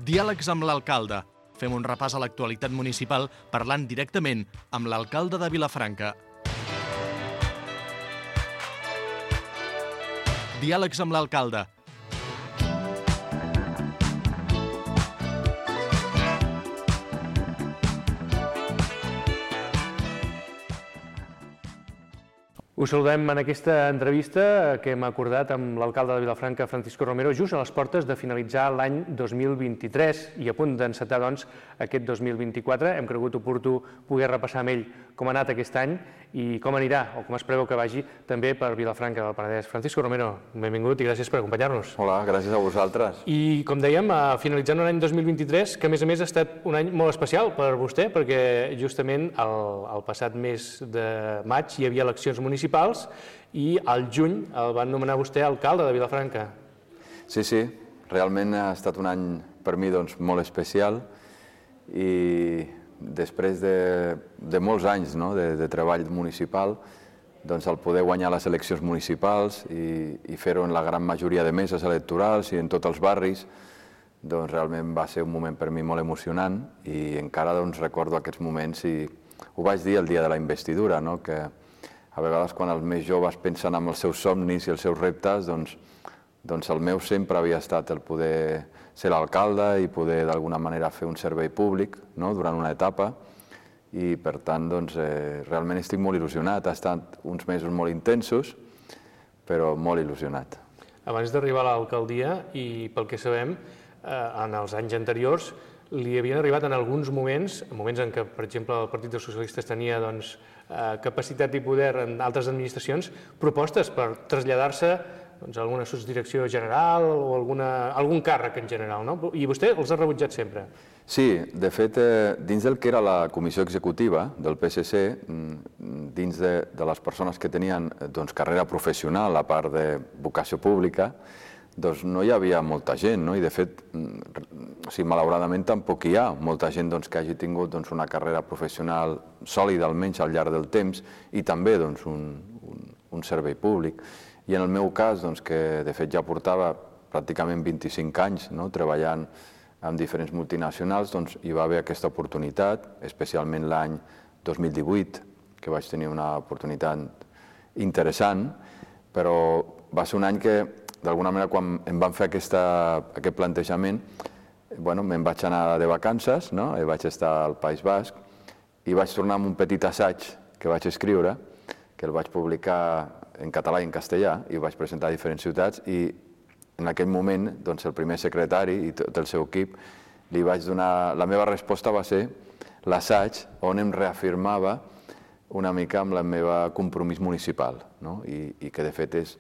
Diàlegs amb l'alcalde. Fem un repàs a l'actualitat municipal parlant directament amb l'alcalde de Vilafranca. Diàlegs amb l'alcalde. Us saludem en aquesta entrevista que hem acordat amb l'alcalde de Vilafranca, Francisco Romero, just a les portes de finalitzar l'any 2023 i a punt d'encetar, doncs, aquest 2024. Hem cregut oportú poder repassar amb ell com ha anat aquest any i com anirà, o com es preveu que vagi, també per Vilafranca del Penedès. Francisco Romero, benvingut i gràcies per acompanyar-nos. Hola, gràcies a vosaltres. I, com dèiem, finalitzant un any 2023, que a més ha estat un any molt especial per vostè, perquè justament el passat mes de maig hi havia eleccions municipals i al juny el van nomenar vostè alcalde de Vilafranca. Sí, realment ha estat un any per mi molt especial i després de molts anys de treball municipal, el poder guanyar les eleccions municipals i fer-ho en la gran majoria de meses electorals i en tots els barris, realment va ser un moment per mi molt emocionant i encara recordo aquests moments i ho vaig dir el dia de la investidura, que a vegades quan els més joves pensen en els seus somnis i els seus reptes, doncs el meu sempre havia estat el poder ser l'alcalde i poder d'alguna manera fer un servei públic durant una etapa i per tant realment estic molt il·lusionat. Ha estat uns mesos molt intensos, però molt il·lusionat. Abans d'arribar a l'alcaldia i pel que sabem, en els anys anteriors li havien arribat en alguns moments en què, per exemple, el Partit dels Socialistes tenia capacitat i poder en altres administracions, propostes per traslladar-se a alguna sotsdirecció general o algun càrrec en general, no? I vostè els ha rebutjat sempre. Sí, de fet, dins del que era la comissió executiva del PSC, dins de les persones que tenien carrera professional a part de vocació pública, no hi havia molta gent, i de fet, malauradament tampoc hi ha molta gent que hagi tingut una carrera professional sòlida, almenys al llarg del temps, i també un servei públic. I en el meu cas, que de fet ja portava pràcticament 25 anys treballant amb diferents multinacionals, hi va haver aquesta oportunitat, especialment l'any 2018, que vaig tenir una oportunitat interessant, però va ser un any que, d'alguna manera, quan em van fer aquest plantejament, me'n vaig anar de vacances, vaig estar al País Basc i vaig tornar amb un petit assaig que vaig escriure, que el vaig publicar en català i en castellà i ho vaig presentar a diferents ciutats i en aquell moment el primer secretari i tot el seu equip li vaig donar... La meva resposta va ser l'assaig on em reafirmava una mica amb el meu compromís municipal i que de fet és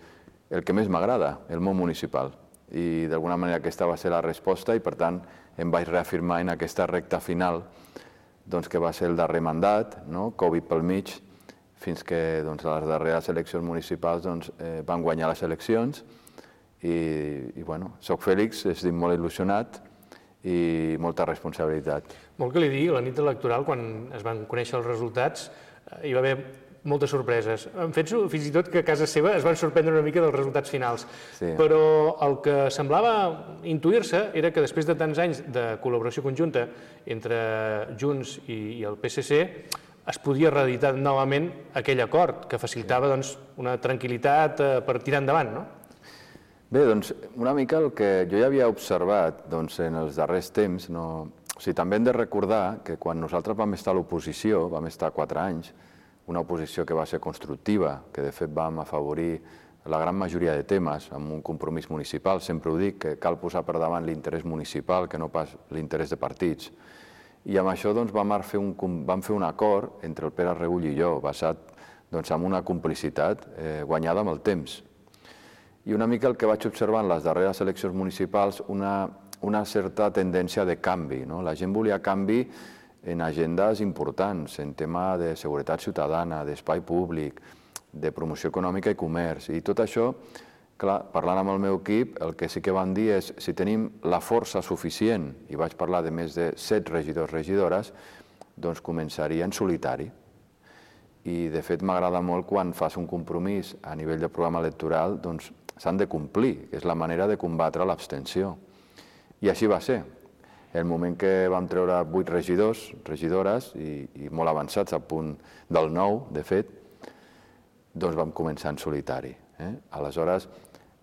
el que més m'agrada, el món municipal. I d'alguna manera aquesta va ser la resposta i per tant em vaig reafirmar en aquesta recta final que va ser el darrer mandat, Covid pel mig, fins que a les darreres eleccions municipals van guanyar les eleccions i soc fèlix, estic molt il·lusionat i molta responsabilitat. Vol que li digui, la nit electoral, quan es van conèixer els resultats, hi va haver moltes sorpreses. En fet, fins i tot que a casa seva es van sorprendre una mica dels resultats finals. Però el que semblava intuir-se era que després de tants anys de col·laboració conjunta entre Junts i el PSC es podia reeditar novament aquell acord que facilitava una tranquil·litat per tirar endavant, no? Bé, una mica el que jo ja havia observat en els darrers temps, també hem de recordar que quan nosaltres vam estar a l'oposició, vam estar 4 anys, una oposició que va ser constructiva, que de fet vam afavorir la gran majoria de temes amb un compromís municipal. Sempre ho dic, que cal posar per davant l'interès municipal que no pas l'interès de partits. I amb això vam fer un acord entre el Pere Regull i jo, basat en una complicitat guanyada amb el temps. I una mica el que vaig observar en les darreres eleccions municipals, una certa tendència de canvi. La gent volia canvi en agendes importants, en tema de seguretat ciutadana, d'espai públic, de promoció econòmica i comerç. I tot això, clar, parlant amb el meu equip, el que sí que van dir és si tenim la força suficient, i vaig parlar de més de 7 regidors, regidores, doncs començaria en solitari. I de fet m'agrada molt quan fas un compromís a nivell de programa electoral, doncs s'han de complir, que és la manera de combatre l'abstenció. I així va ser. En el moment que vam treure 8 regidors, regidores, i molt avançats, a punt del 9, de fet, doncs vam començar en solitari. Aleshores,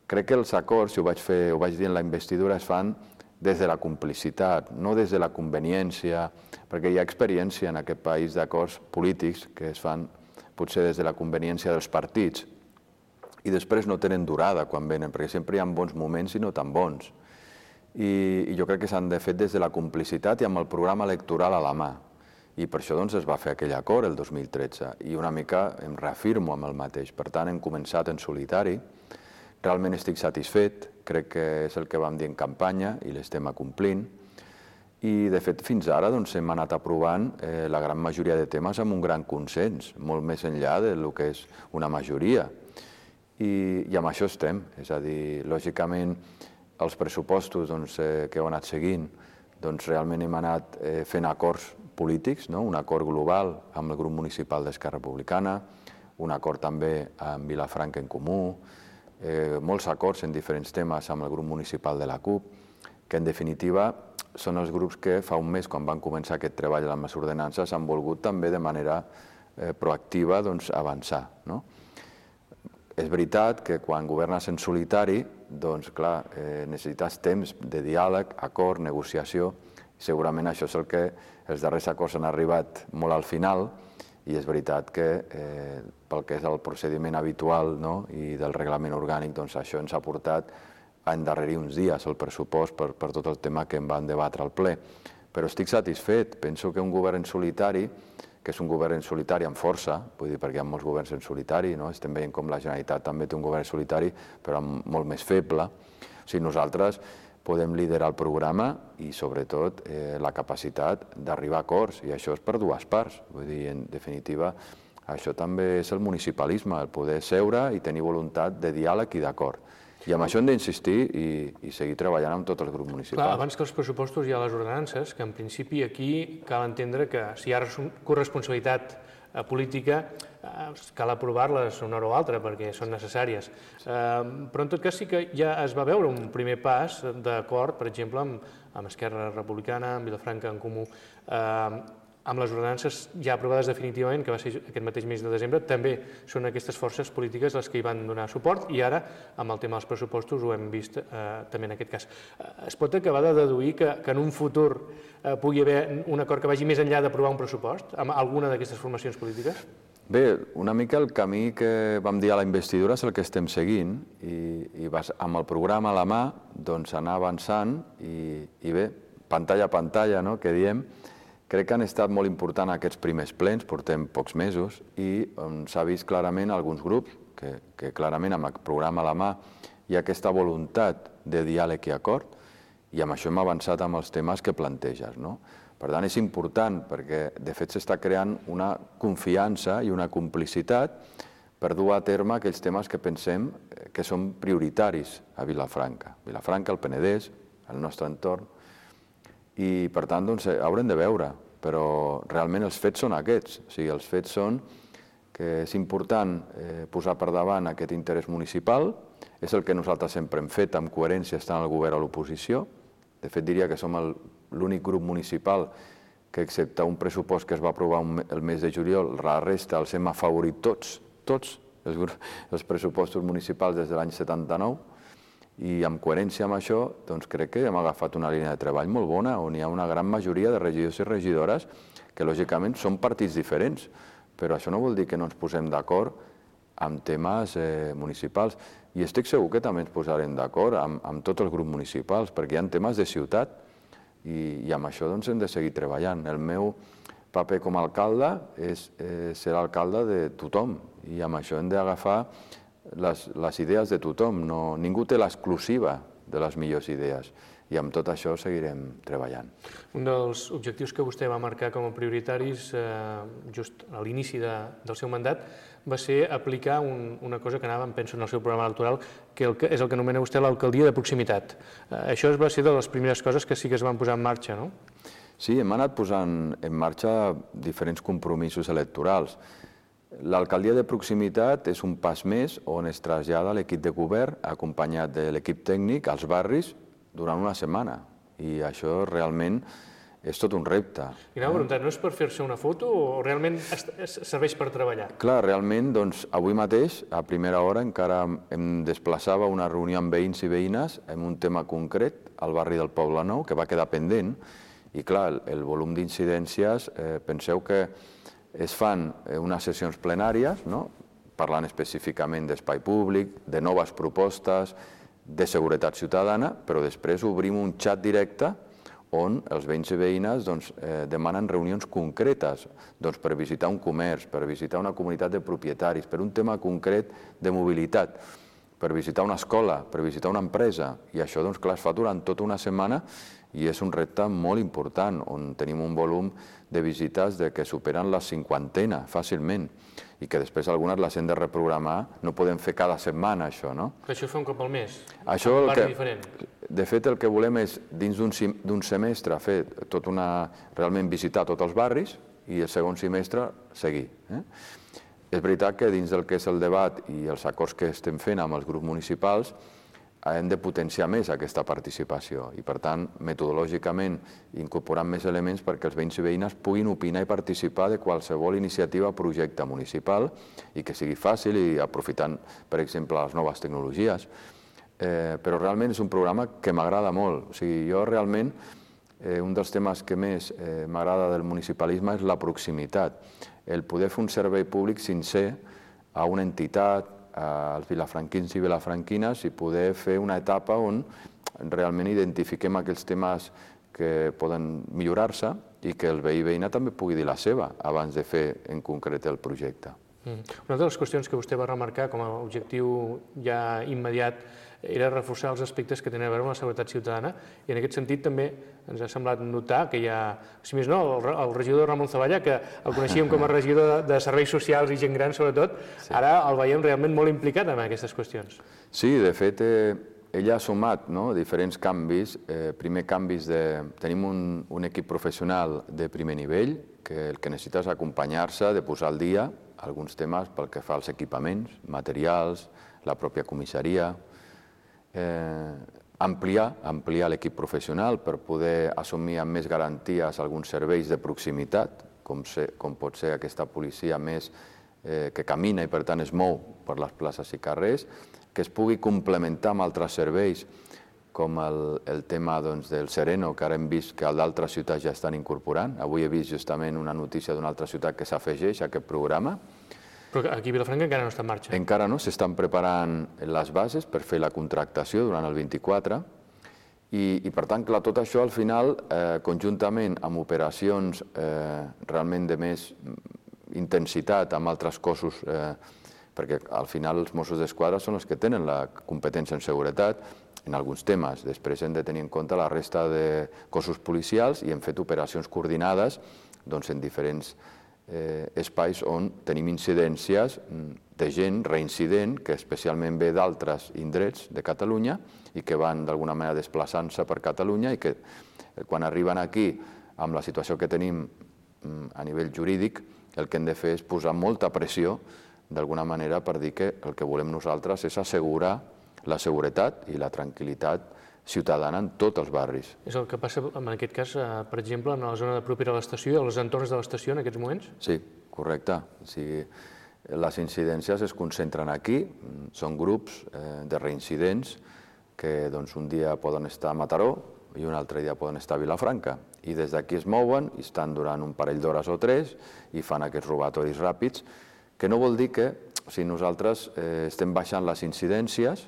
crec que els acords, si ho vaig dir en la investidura, es fan des de la complicitat, no des de la conveniència, perquè hi ha experiència en aquest país d'acords polítics que es fan potser des de la conveniència dels partits i després no tenen durada quan venen, perquè sempre hi ha bons moments i no tan bons. I jo crec que s'han de fer des de la complicitat i amb el programa electoral a la mà. I per això es va fer aquell acord el 2013 i una mica em reafirmo amb el mateix. Per tant, hem començat en solitari, realment estic satisfet, crec que és el que vam dir en campanya i l'estem acomplint. I, de fet, fins ara hem anat aprovant la gran majoria de temes amb un gran consens, molt més enllà del que és una majoria. I amb això estem, és a dir, lògicament, els pressupostos que heu anat seguint, realment hem anat fent acords polítics, un acord global amb el grup municipal d'Esquerra Republicana, un acord també amb Vilafranca en Comú, molts acords en diferents temes amb el grup municipal de la CUP, que en definitiva són els grups que fa un mes, quan van començar aquest treball amb les ordenances, han volgut també de manera proactiva avançar. És veritat que quan governes en solitari, doncs clar, necessites temps de diàleg, acord, negociació. Segurament això és el que els darrers acords han arribat molt al final i és veritat que pel que és el procediment habitual i del reglament orgànic, doncs això ens ha portat a endarrerir uns dies el pressupost per tot el tema que em van debatre al ple. Però estic satisfet. Penso que un govern en solitari, que és un govern en solitari amb força, vull dir, perquè hi ha molts governs en solitari, estem veient com la Generalitat també té un govern solitari, però molt més feble. O sigui, nosaltres podem liderar el programa i, sobretot, la capacitat d'arribar a acords, i això és per dues parts. Vull dir, en definitiva, això també és el municipalisme, el poder seure i tenir voluntat de diàleg i d'acord. I amb això hem d'insistir i seguir treballant amb tot el grup municipal. Clar, abans que els pressupostos hi ha les ordenances, que en principi aquí cal entendre que si hi ha corresponsabilitat política cal aprovar-les una hora o altra perquè són necessàries. Però en tot cas sí que ja es va veure un primer pas d'acord, per exemple, amb Esquerra Republicana, amb Vilafranca en Comú, amb les ordenances ja aprovades definitivament, que va ser aquest mateix mes de desembre, també són aquestes forces polítiques les que hi van donar suport i ara, amb el tema dels pressupostos, ho hem vist també en aquest cas. Es pot acabar de deduir que en un futur pugui haver un acord que vagi més enllà d'aprovar un pressupost amb alguna d'aquestes formacions polítiques? Bé, una mica el camí que vam dir a la investidura és el que estem seguint i amb el programa a la mà anar avançant i bé, pantalla a pantalla, que diem. Crec que han estat molt importants aquests primers plens, portem pocs mesos, i s'ha vist clarament alguns grups que clarament amb el programa a la mà hi ha aquesta voluntat de diàleg i acord, i amb això hem avançat amb els temes que planteges. Per tant, és important perquè, de fet, s'està creant una confiança i una complicitat per dur a terme aquells temes que pensem que són prioritaris a Vilafranca. Vilafranca, el Penedès, el nostre entorn, i per tant haurem de veure, però realment els fets són aquests. O sigui, els fets són que és important posar per davant aquest interès municipal, és el que nosaltres sempre hem fet amb coherència estant al govern o a l'oposició. De fet, diria que som l'únic grup municipal que, excepte un pressupost que es va aprovar el mes de juliol, la resta els hem afavorit tots els pressupostos municipals des de l'any 79, i amb coherència amb això crec que hem agafat una línia de treball molt bona on hi ha una gran majoria de regidors i regidores que lògicament són partits diferents, però això no vol dir que no ens posem d'acord amb temes municipals. I estic segur que també ens posarem d'acord amb tots els grups municipals, perquè hi ha temes de ciutat i amb això hem de seguir treballant. El meu paper com a alcalde és ser alcalde de tothom i amb això hem d'agafar les idees de tothom. Ningú té l'exclusiva de les millors idees i amb tot això seguirem treballant. Un dels objectius que vostè va marcar com a prioritaris just a l'inici del seu mandat va ser aplicar una cosa que anava, penso, en el seu programa electoral, que és el que anomena vostè l'alcaldia de proximitat. Això va ser de les primeres coses que sí que es van posar en marxa, no? Sí, hem anat posant en marxa diferents compromisos electorals. L'alcaldia de proximitat és un pas més on es trasllada l'equip de govern acompanyat de l'equip tècnic als barris durant una setmana. I això realment és tot un repte. I anava a preguntar, no és per fer-se una foto o realment serveix per treballar? Clar, realment, doncs, avui mateix, a primera hora, encara em desplaçava a una reunió amb veïns i veïnes en un tema concret al barri del Poblenou, que va quedar pendent, i clar, el volum d'incidències, penseu que es fan unes sessions plenàries, parlant específicament d'espai públic, de noves propostes, de seguretat ciutadana, però després obrim un xat directe on els veïns i veïnes demanen reunions concretes per visitar un comerç, per visitar una comunitat de propietaris, per un tema concret de mobilitat, per visitar una escola, per visitar una empresa. I això, clar, es fa durant tota una setmana i és un repte molt important, on tenim un volum de visites que superen la 50 fàcilment i que després algunes les hem de reprogramar. No podem fer cada setmana, això, no? Però això fa un cop al mes, un barri diferent. De fet, el que volem és, dins d'un semestre, fer realment visitar tots els barris i el segon semestre seguir. És veritat que dins del que és el debat i els acords que estem fent amb els grups municipals hem de potenciar més aquesta participació i, per tant, metodològicament incorporant més elements perquè els veïns i veïnes puguin opinar i participar de qualsevol iniciativa o projecte municipal i que sigui fàcil i aprofitant, per exemple, les noves tecnologies. Però realment és un programa que m'agrada molt. O sigui, jo realment, un dels temes que més m'agrada del municipalisme és la proximitat, el poder fer un servei públic sincer a una entitat, als vilafranquins i vilafranquines i poder fer una etapa on realment identifiquem aquells temes que poden millorar-se i que el veí i veïna també pugui dir la seva abans de fer en concret el projecte. Una de les qüestions que vostè va remarcar com a objectiu ja immediat era reforçar els aspectes que tenen a veure amb la seguretat ciutadana i en aquest sentit també ens ha semblat notar que hi ha, si més no, el regidor Ramon Zavalla, que el coneixíem com a regidor de serveis socials i gent gran sobretot, ara el veiem realment molt implicat en aquestes qüestions. Sí, de fet, ell ha sumat diferents canvis. Primer canvis tenim un equip professional de primer nivell que el que necessita és acompanyar-se, de posar al dia alguns temes pel que fa als equipaments, materials, la pròpia comissaria, ampliar l'equip professional per poder assumir amb més garanties alguns serveis de proximitat, com pot ser aquesta policia més que camina i per tant es mou per les places i carrers, que es pugui complementar amb altres serveis com el tema del Sereno, que ara hem vist que d'altres ciutats ja estan incorporant. Avui he vist justament una notícia d'una altra ciutat que s'afegeix a aquest programa. Però aquí a Vilafranca encara no està en marxa. Encara no, s'estan preparant les bases per fer la contractació durant el 24 i per tant, clar, tot això al final, conjuntament amb operacions realment de més intensitat amb altres cossos, perquè al final els Mossos d'Esquadra són els que tenen la competència en seguretat en alguns temes. Després hem de tenir en compte la resta de cossos policials i hem fet operacions coordinades en diferents espais on tenim incidències de gent reincident que especialment ve d'altres indrets de Catalunya i que van d'alguna manera desplaçant-se per Catalunya i que quan arriben aquí amb la situació que tenim a nivell jurídic el que hem de fer és posar molta pressió d'alguna manera per dir que el que volem nosaltres és assegurar la seguretat i la tranquil·litat ciutadana en tots els barris. És el que passa en aquest cas, per exemple, en la zona propera a l'estació i als entorns de l'estació en aquests moments? Sí, correcte. Les incidències es concentren aquí, són grups de reincidents que un dia poden estar a Mataró i un altre dia poden estar a Vilafranca. I des d'aquí es mouen i estan durant un parell d'hores o 3 i fan aquests robatoris ràpids, que no vol dir que nosaltres estem baixant les incidències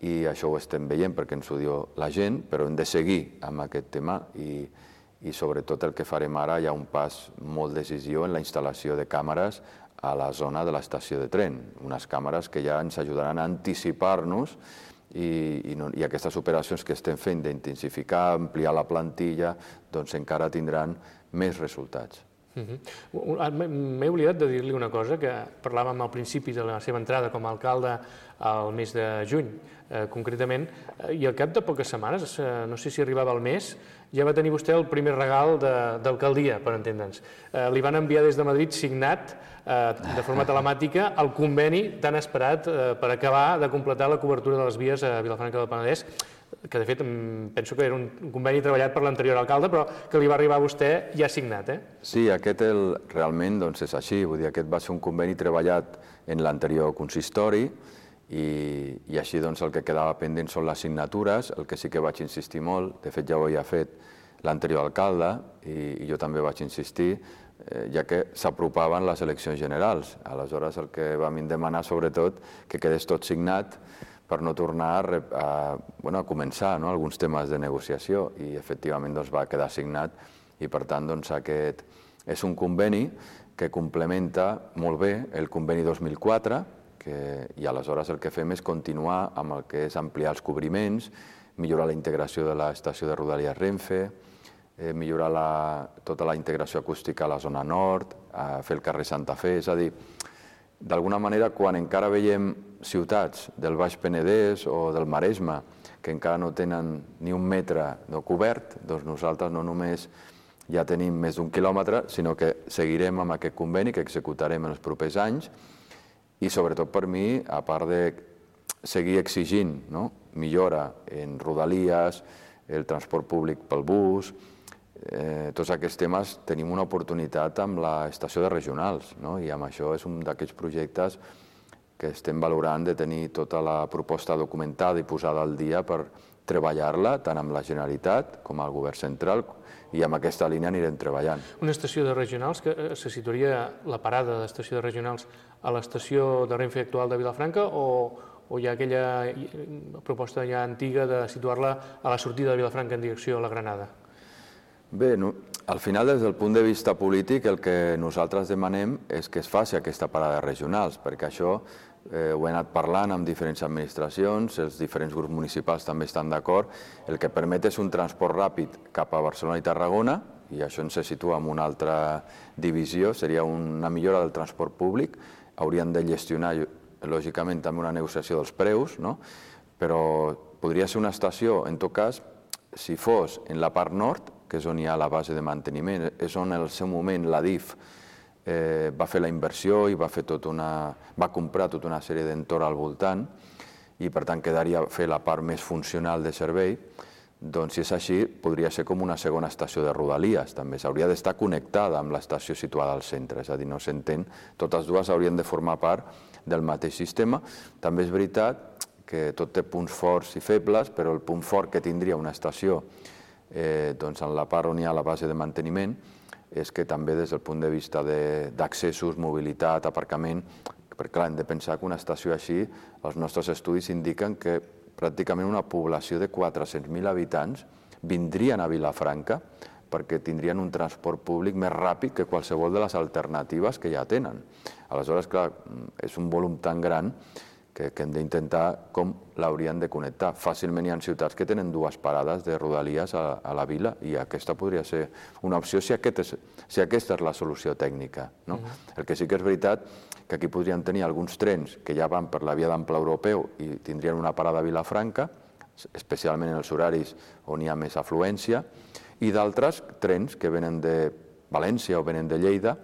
i això ho estem veient perquè ens ho diu la gent, però hem de seguir amb aquest tema i sobretot el que farem ara hi ha un pas molt decisiu en la instal·lació de càmeres a la zona de l'estació de tren, unes càmeres que ja ens ajudaran a anticipar-nos i aquestes operacions que estem fent d'intensificar, ampliar la plantilla, doncs encara tindran més resultats. M'he oblidat de dir-li una cosa que parlàvem al principi de la seva entrada com a alcalde al mes de juny, concretament, i al cap de poques setmanes, no sé si arribava al mes, ja va tenir vostè el primer regal d'alcaldia, per entendre'ns. Li van enviar des de Madrid signat de forma telemàtica el conveni tan esperat per acabar de completar la cobertura de les vies a Vilafranca del Penedès. que de fet penso que era un conveni treballat per l'anterior alcalde, però que li va arribar a vostè ja signat, eh? Sí, aquest realment és així, vull dir, aquest va ser un conveni treballat en l'anterior consistori i així el que quedava pendent són les signatures, el que sí que vaig insistir molt, de fet ja ho havia fet l'anterior alcalde i jo també vaig insistir, ja que s'apropaven les eleccions generals. Aleshores el que vam demanar sobretot que quedés tot signat per no tornar a començar alguns temes de negociació i efectivament va quedar signat i per tant aquest és un conveni que complementa molt bé el conveni 2004 i aleshores el que fem és continuar amb el que és ampliar els cobriments, millorar la integració de l'estació de Rodalies Renfe, millorar tota la integració acústica a la zona nord, fer el carrer Santa Fe, és a dir, d'alguna manera, quan encara veiem ciutats del Baix Penedès o del Maresme que encara no tenen ni un metre cobert, doncs nosaltres no només ja tenim més d'1 quilòmetre, sinó que seguirem amb aquest conveni que executarem en els propers anys i sobretot per mi, a part de seguir exigint millora en Rodalies, el transport públic pel bus, tots aquests temes tenim una oportunitat amb l'estació de regionals i amb això és un d'aquests projectes que estem valorant de tenir tota la proposta documentada i posada al dia per treballar-la tant amb la Generalitat com amb el Govern central i amb aquesta línia anirem treballant. Una estació de regionals que se situaria la parada d'estació de regionals a l'estació de Renfe actual de Vilafranca o hi ha aquella proposta ja antiga de situar-la a la sortida de Vilafranca en direcció a la Granada? Bé, al final, des del punt de vista polític, el que nosaltres demanem és que es faci aquesta parada regionals, perquè això ho he anat parlant amb diferents administracions, els diferents grups municipals també estan d'acord. El que permet és un transport ràpid cap a Barcelona i Tarragona, i això ens se situa en una altra divisió, seria una millora del transport públic. Haurien de gestionar, lògicament, també una negociació dels preus, però podria ser una estació, en tot cas, si fos en la part nord, que és on hi ha la base de manteniment, és on en el seu moment la DIF va fer la inversió i va comprar tota una sèrie d'entorn al voltant i per tant quedaria fer la part més funcional de servei, doncs si és així podria ser com una segona estació de Rodalies, també s'hauria d'estar connectada amb l'estació situada al centre, és a dir, no s'entén, totes dues haurien de formar part del mateix sistema. També és veritat que tot té punts forts i febles, però el punt fort que tindria una estació en la part on hi ha la base de manteniment és que també des del punt de vista d'accessos, mobilitat, aparcament, perquè clar, hem de pensar que una estació així, els nostres estudis indiquen que pràcticament una població de 400.000 habitants vindrien a Vilafranca perquè tindrien un transport públic més ràpid que qualsevol de les alternatives que ja tenen. Aleshores, clar, és un volum tan gran que hem d'intentar com l'haurien de connectar. Fàcilment hi ha ciutats que tenen 2 parades de Rodalies a la vila i aquesta podria ser una opció si aquesta és la solució tècnica. El que sí que és veritat que aquí podrien tenir alguns trens que ja van per la via d'ample europeu i tindrien una parada a Vilafranca, especialment en els horaris on hi ha més afluència, i d'altres trens que venen de València o venen de Lleida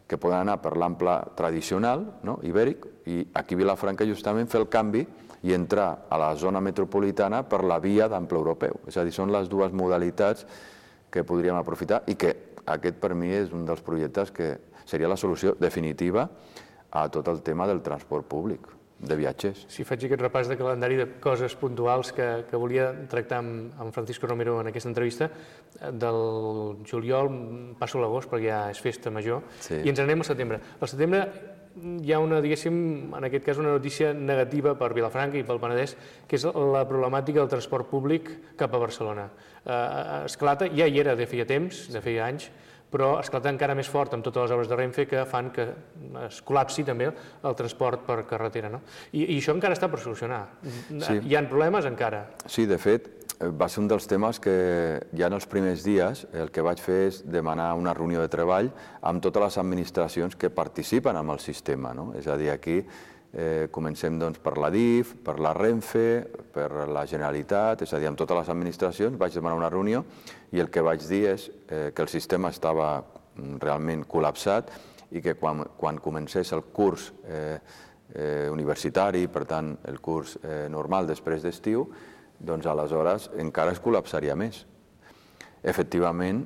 que poden anar per l'ample tradicional, ibèric, i aquí a Vilafranca justament fer el canvi i entrar a la zona metropolitana per la via d'ample europeu. És a dir, són les 2 modalitats que podríem aprofitar i que aquest per mi és un dels projectes que seria la solució definitiva a tot el tema del transport públic de viatgers. Si faig aquest repàs de calendari de coses puntuals que volia tractar amb Francisco Romero en aquesta entrevista, del juliol passo a l'agost perquè ja és festa major i ens anem al setembre. Al setembre hi ha una, diguéssim, en aquest cas una notícia negativa per Vilafranca i pel Penedès, que és la problemàtica del transport públic cap a Barcelona. Esclata, ja hi era de feia temps, de feia anys, però esclata encara més fort amb totes les obres de Renfe que fan que es col·lapsi també el transport per carretera. I això encara està per solucionar. Hi ha problemes encara? Sí, de fet, va ser un dels temes que ja en els primers dies el que vaig fer és demanar una reunió de treball amb totes les administracions que participen en el sistema. És a dir, aquí comencem per la DIF, per la Renfe, per la Generalitat, és a dir, amb totes les administracions vaig demanar una reunió i el que vaig dir és que el sistema estava realment col·lapsat i que quan comencés el curs universitari, per tant el curs normal després d'estiu, doncs aleshores encara es col·lapsaria més. Efectivament,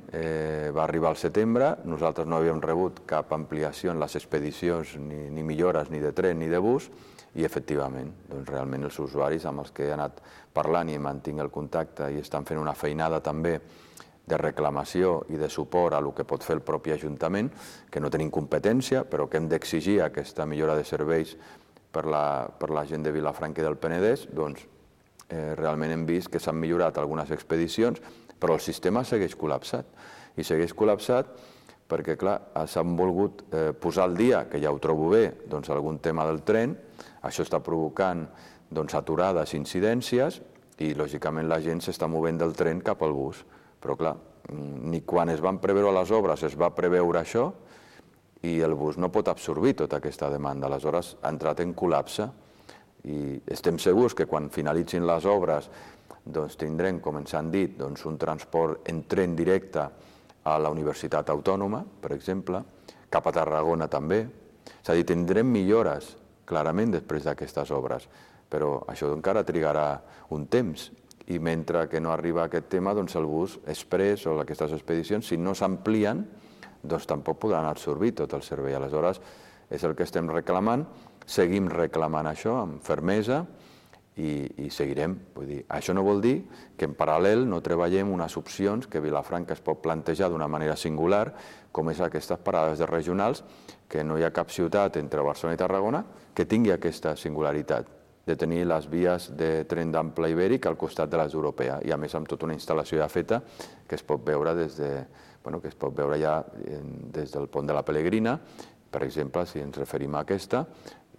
va arribar al setembre, nosaltres no havíem rebut cap ampliació en les expedicions, ni millores ni de tren ni de bus, i efectivament, doncs realment els usuaris amb els que he anat parlant i mantinc el contacte i estan fent una feinada també de reclamació i de suport a el que pot fer el propi Ajuntament, que no tenim competència, però que hem d'exigir aquesta millora de serveis per la gent de Vilafranca i del Penedès, doncs realment hem vist que s'han millorat algunes expedicions, però el sistema segueix col·lapsat. I segueix col·lapsat perquè, clar, s'han volgut posar al dia, que ja ho trobo bé, doncs algun tema del tren, això està provocant aturades, incidències, i lògicament la gent s'està movent del tren cap al bus. Però, clar, ni quan es van preveure les obres es va preveure això i el bus no pot absorbir tota aquesta demanda. Aleshores ha entrat en col·lapse i estem segurs que quan finalitzin les obres tindrem, com ens han dit, un transport en tren directe a la Universitat Autònoma, per exemple, cap a Tarragona també. És a dir, tindrem millores, clarament, després d'aquestes obres, però això encara trigarà un temps. I mentre que no arriba aquest tema, el bus express o aquestes expedicions, si no s'amplien, tampoc podran absorbir tot el servei. Aleshores, és el que estem reclamant, seguim reclamant això amb fermesa i seguirem. Vull dir, això no vol dir que en paral·lel no treballem unes opcions que Vilafranca es pot plantejar d'una manera singular, com és aquestes parades de regionals, que no hi ha cap ciutat entre Barcelona i Tarragona que tingui aquesta singularitat de tenir les vies de tren d'ample ibèric al costat de les europees i a més amb tota una instal·lació ja feta que es pot veure ja des del pont de la Pelegrina, per exemple, si ens referim a aquesta,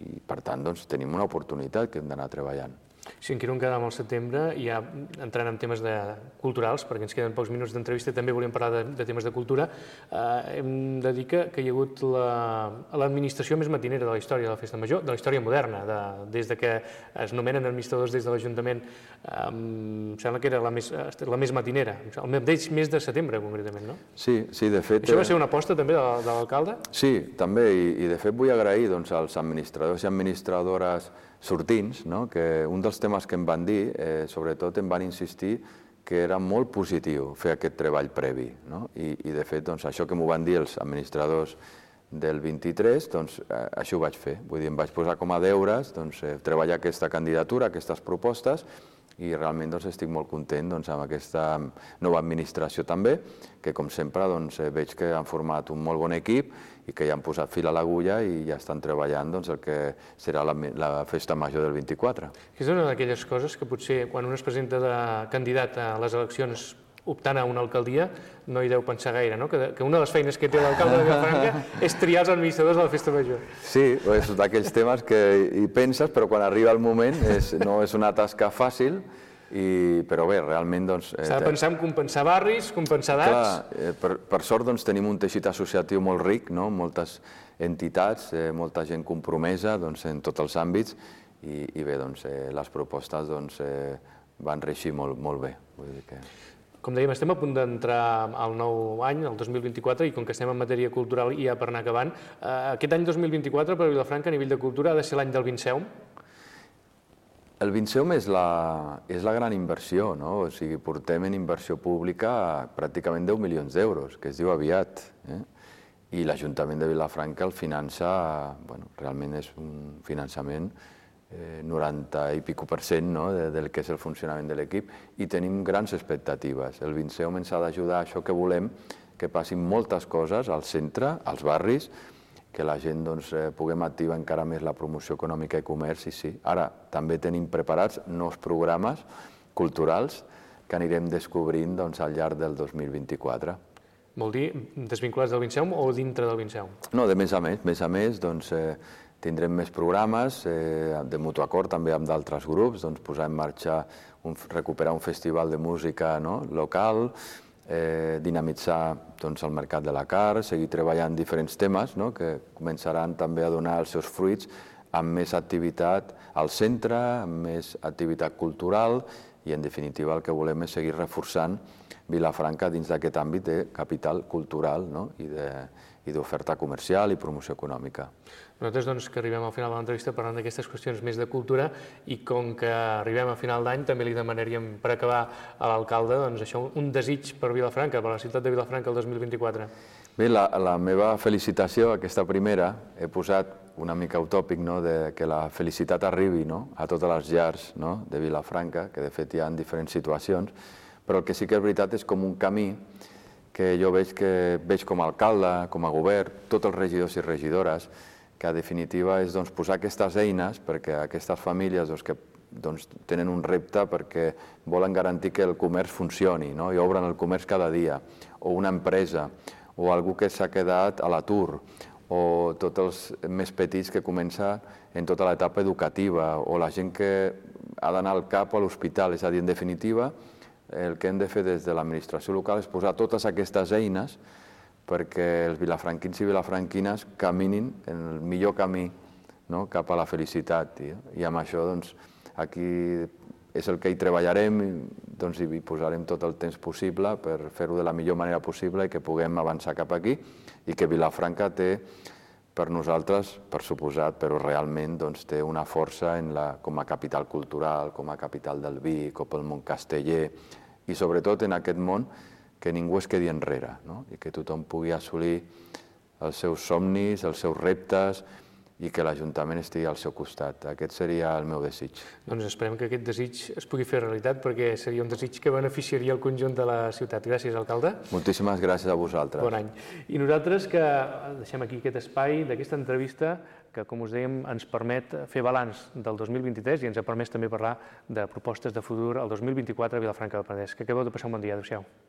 i per tant tenim una oportunitat que hem d'anar treballant. Si en quedem al setembre, ja entrant en temes culturals, perquè ens queden pocs minuts d'entrevista, també volíem parlar de temes de cultura, hem de dir que hi ha hagut l'administració més matinera de la història de la Festa Major, de la història moderna, des que es nomenen administradors des de l'Ajuntament, em sembla que era la més matinera, el mes de setembre, concretament, no? Sí, de fet... Això va ser una aposta també de l'alcalde? Sí, també, i de fet vull agrair als administradors i administradores sortints, que un dels temes que em van dir, sobretot em van insistir que era molt positiu fer aquest treball previ. I de fet, això que m'ho van dir els administradors del 23, això ho vaig fer. Vull dir, em vaig posar com a deures treballar aquesta candidatura, aquestes propostes, i realment estic molt content amb aquesta nova administració també, que com sempre veig que han format un molt bon equip i que ja han posat fil a l'agulla i ja estan treballant el que serà la Festa Major del 24. És una d'aquelles coses que potser quan un es presenta de candidat a les eleccions optant a una alcaldia no hi deu pensar gaire, no? Que una de les feines que té l'alcalde de Vilafranca és triar els administradors de la Festa Major. Sí, és d'aquells temes que hi penses, però quan arriba el moment no és una tasca fàcil, però bé, realment... S'ha de pensar en compensar barris, compensar edats... Per sort tenim un teixit associatiu molt ric, moltes entitats, molta gent compromesa en tots els àmbits, i bé, les propostes van reeixir molt bé. Com dèiem, estem a punt d'entrar al nou any, el 2024, i com que estem en matèria cultural i ja per anar acabant, aquest any 2024 per Vilafranca a nivell de cultura ha de ser l'any del Vinceum? El Vinceum és la gran inversió, o sigui, portem en inversió pública pràcticament 10 milions d'euros, que es diu aviat, i l'Ajuntament de Vilafranca el finança, realment és un finançament 90 i pico % del que és el funcionament de l'equip, i tenim grans expectatives. El Vinceum ens ha d'ajudar a això que volem, que passin moltes coses al centre, als barris, que la gent puguem activar encara més la promoció econòmica i comerç, i sí. Ara, també tenim preparats nous programes culturals que anirem descobrint al llarg del 2024. Vol dir desvinculats del Vinceum o dintre del Vinceum? No, de més a més, tindrem més programes, de mutu acord també amb d'altres grups, posar en marxa, recuperar un festival de música local, dinamitzar el mercat de la carn, seguir treballant diferents temes que començaran també a donar els seus fruits amb més activitat al centre, amb més activitat cultural i en definitiva el que volem és seguir reforçant Vilafranca dins d'aquest àmbit de capital cultural i d'oferta comercial i promoció econòmica. Nosaltres, doncs, que arribem al final de l'entrevista parlant d'aquestes qüestions més de cultura i com que arribem a final d'any també li demanaríem per acabar a l'alcalde un desig per Vilafranca, per la ciutat de Vilafranca el 2024. Bé, la meva felicitació, aquesta primera, he posat una mica utòpic que la felicitat arribi a totes les llars de Vilafranca, que de fet hi ha en diferents situacions, però el que sí que és veritat és com un camí que jo veig com a alcalde, com a govern, tots els regidors i regidores, que en definitiva és posar aquestes eines perquè aquestes famílies que tenen un repte perquè volen garantir que el comerç funcioni i obren el comerç cada dia, o una empresa, o algú que s'ha quedat a l'atur, o tots els més petits que comencen en tota l'etapa educativa, o la gent que ha d'anar al CAP o a l'hospital. És a dir, en definitiva, el que hem de fer des de l'administració local és posar totes aquestes eines perquè els vilafranquins i vilafranquines caminin en el millor camí cap a la felicitat. I amb això, aquí és el que hi treballarem i hi posarem tot el temps possible per fer-ho de la millor manera possible i que puguem avançar cap aquí i que Vilafranca té per nosaltres, per suposat, però realment té una força com a capital cultural, com a capital del vi, com el món casteller i sobretot en aquest món que ningú es quedi enrere i que tothom pugui assolir els seus somnis, els seus reptes i que l'Ajuntament estigui al seu costat. Aquest seria el meu desig. Doncs esperem que aquest desig es pugui fer realitat perquè seria un desig que beneficiaria el conjunt de la ciutat. Gràcies, alcalde. Moltíssimes gràcies a vosaltres. Bon any. I nosaltres que deixem aquí aquest espai d'aquesta entrevista que, com us dèiem, ens permet fer balanç del 2023 i ens ha permès també parlar de propostes de futur al 2024 a Vilafranca del Penedès. Que acabeu de passar un bon dia. Adéu-siau.